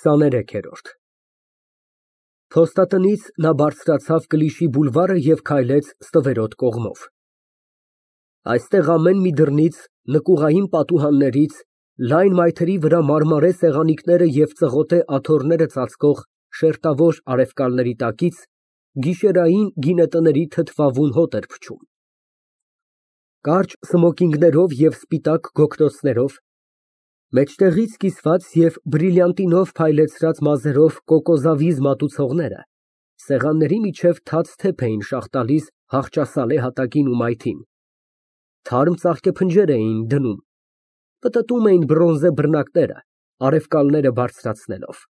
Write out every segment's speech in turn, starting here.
23-րդ Փոստատնից նա բարձրացավ Կլիշի բուլվարը և քայլեց ստվերոտ կողմով։ Այստեղ ամեն մի դռնից, նկուղային պատուհաններից, լայն մայթերի վրա մարմարե սեղանիկները և ծղոտե աթոռները ծածկող շերտավոր արևկալների տակից գիշերային գինետների թթվավուն հոտ էր փչում։ Կարճ սմոկինգներով և սպիտակ գոգնոցներով, մեջտեղից կիսված և բրիլյանտինով փայլեցրած մազերով կոկոզավիզ մատուցողները սեղանների միջև թաց թեփ էին շաղ տալիս հախճասալե հատակին ու մայթին, թարմ ծաղկեփնջեր էին դնում, պտտում էին բրոնզե բռնակները, արևկալները բարձրացնելով։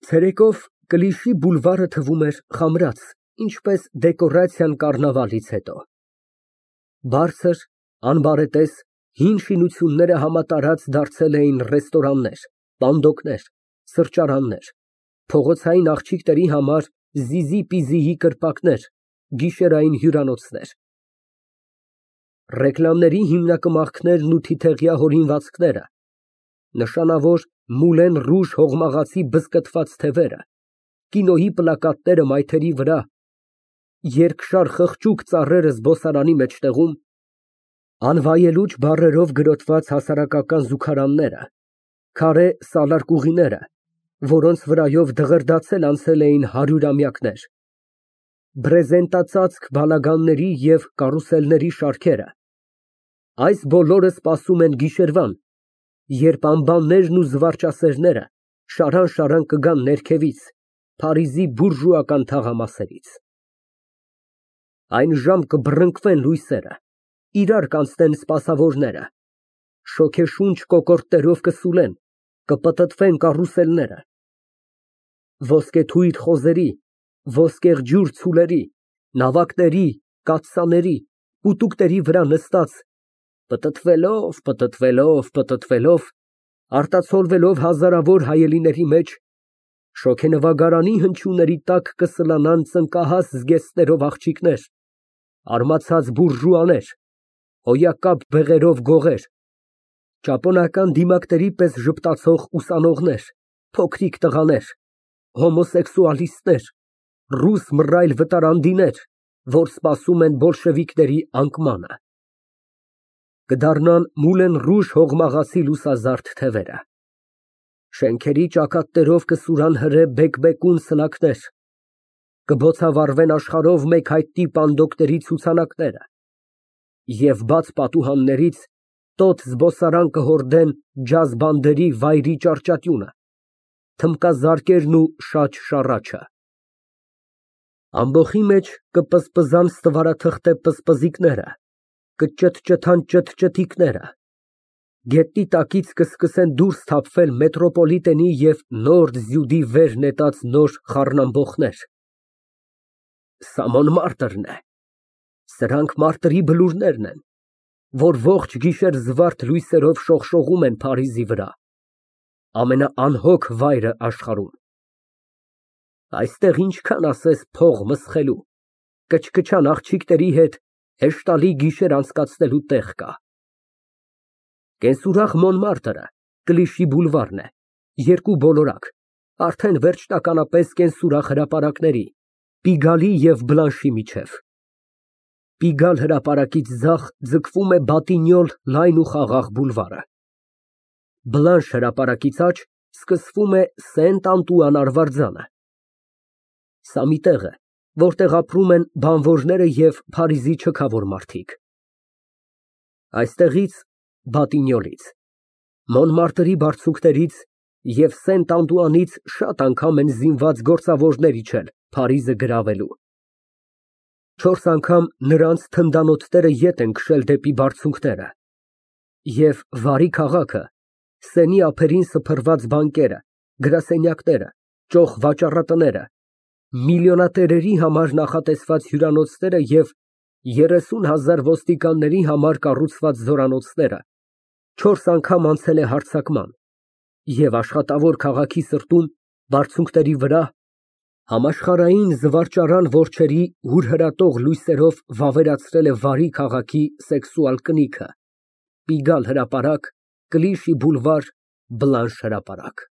Ցերեկով Կլիշի բուլվարը թվում էր խամրած, ինչպես դեկորացիան կառնավալից հետո։ Բարձր, անբարետես, հին շինությունները համատարած դարձել էին ռեստորաններ, պանդոկներ, սրճարաններ, փողոցային աղջիկների համար զիզի֊պիզիի կրպակներ, գիշերային հյուրանոցներ։ Ռեկլամների հիմնակմախքներն ու թիթեղյա հորինվածքները, նշանավոր Մուլեն Ռուժ հողմաղացի բզկտված թևերը, կինոյի պլակատները մայթերի վրա, երկշար խղճուկ ծառերը զբոսարանի մեջտեղում, անվայելուչ բառերով գրոտված հասարակական զուգարանները, քարե սալարկուղիները, որոնց վրայով դղրդացել անցել էին հարյուրամյակներ, բրեզենտածածկ բալագանների և կարուսելների շարքերը, այս բոլորը սպասում են գիշերվան, երբ անբաններն ու զվարճասերները շարան կգան ներքևից, Փարիզի բուրժուական թաղամասերից։ Այն ժամ կբռնկվեն լույսերը, իրար կանցնեն սպասավորները, շոգեշունչ կոկորդներով կսուլեն, կպտտվեն կարուսելները, ոսկեթույր խոզերի, ոսկեղջյուր ցուլերի, նավակների, կաթսաների, պուտուկների վրա նստած, պտտվելով, արտացոլվելով հազարավոր հայելիների մեջ, շոգենվագարանի հնչյունների տակ կսլանան ծնկահաս զգեստներով աղջիկներ, արմացած բուրժուաներ, հոյակապ բեղերով գողեր, ճապոնական դիմակների պես ժպտացող ուսանողներ, փոքրիկ տղաներ, հոմոսեքսուալիստներ, ռուս մռայլ վտարանդիներ, որ սպասում են բոլշևիկների անկմանը։ Կդառնան Մուլեն Ռուժ հողմաղացի լուսազարդ թևերը։ Շենքերի ճակատներով կսուրան հրե բեկբեկուն սլաքներ, կբոցավառվեն աշխարհով մեկ հայտնի պանդոկների ցուցանակները և բաց պատուհաններից տոտ զբոսարան կհորդեն ջազ բանդերի վայրի ճառճատյունը, թմբկազարկերն ու շաջ շառաչը։ Ամբոխի մեջ կպզպզան ստվարաթղթե պզպզիկները, կճթճթան ճթճթիկները, գետնի տակից կսկսեն դուրս թափվել մետրոպոլիտենի և նոր զյուդի վեր նետած նոր խառնամբոխներ։ Սա Մոնմարտրն է, սրանք մարտերի բլուրներն են, որ ողջ գիշեր զվարթ լույսերով շողշողում են Փարիզի վրա, ամենաանհոգ վայրը աշխարհում։ Այստեղ ինչքան ասես փող մսխելու, կչկչան աղջիկների հետ հեշտալի գիշեր անցկացնելու տեղ կա։ Կենսուրախ Մոնմարտրը Կլիշի բուլվարն է, երկու բոլորակ, արդեն վերջնականապես կենսուրախ հրապարակների, Պիգալի և Բլանշի միջև։ Պիգալ հրապարակից ձախ ձգվում է Բատինյոլ լայն ու խաղաղ բուլվարը։ Բլանշ հրապարակից աջ սկսվում է Սենտ Անտուան արվարձանը։ Սա մի տեղ է, որտեղ ապրում են բանվորները և Փարիզի չքավոր մարդիկ։ Այստեղից, Բատինյոլից, Մոնմարտրի բարձունքներից և Սենտ Անտուանից շատ անգամ են զինված գործավորներ իջել Փարիզը գրավելու։ 4 անգամ նրանց թնդանոթները ետ են քշել դեպի բարձունքները, և վարի քաղաքը, Սենի ափերին սփռված բանկերը, գրասենյակները, ճոխ վաճառատները, միլիոնատերերի համար նախատեսված հյուրանոցները և 30,000 ոստիկանների համար կառուցված զորանոցները 4 անգամ անցել է հարձակման և աշխատավոր քաղաքի սրտում, բարձունքների վրա, համաշխարհային զվարճարան որջերի հուրհրատող լույսերով վավերացրել է վարի քաղաքի սեքսուալ կնիքը, Պիգալ հրապարակ, Կլիշի բուլվար, Բլանշ հրապարակ։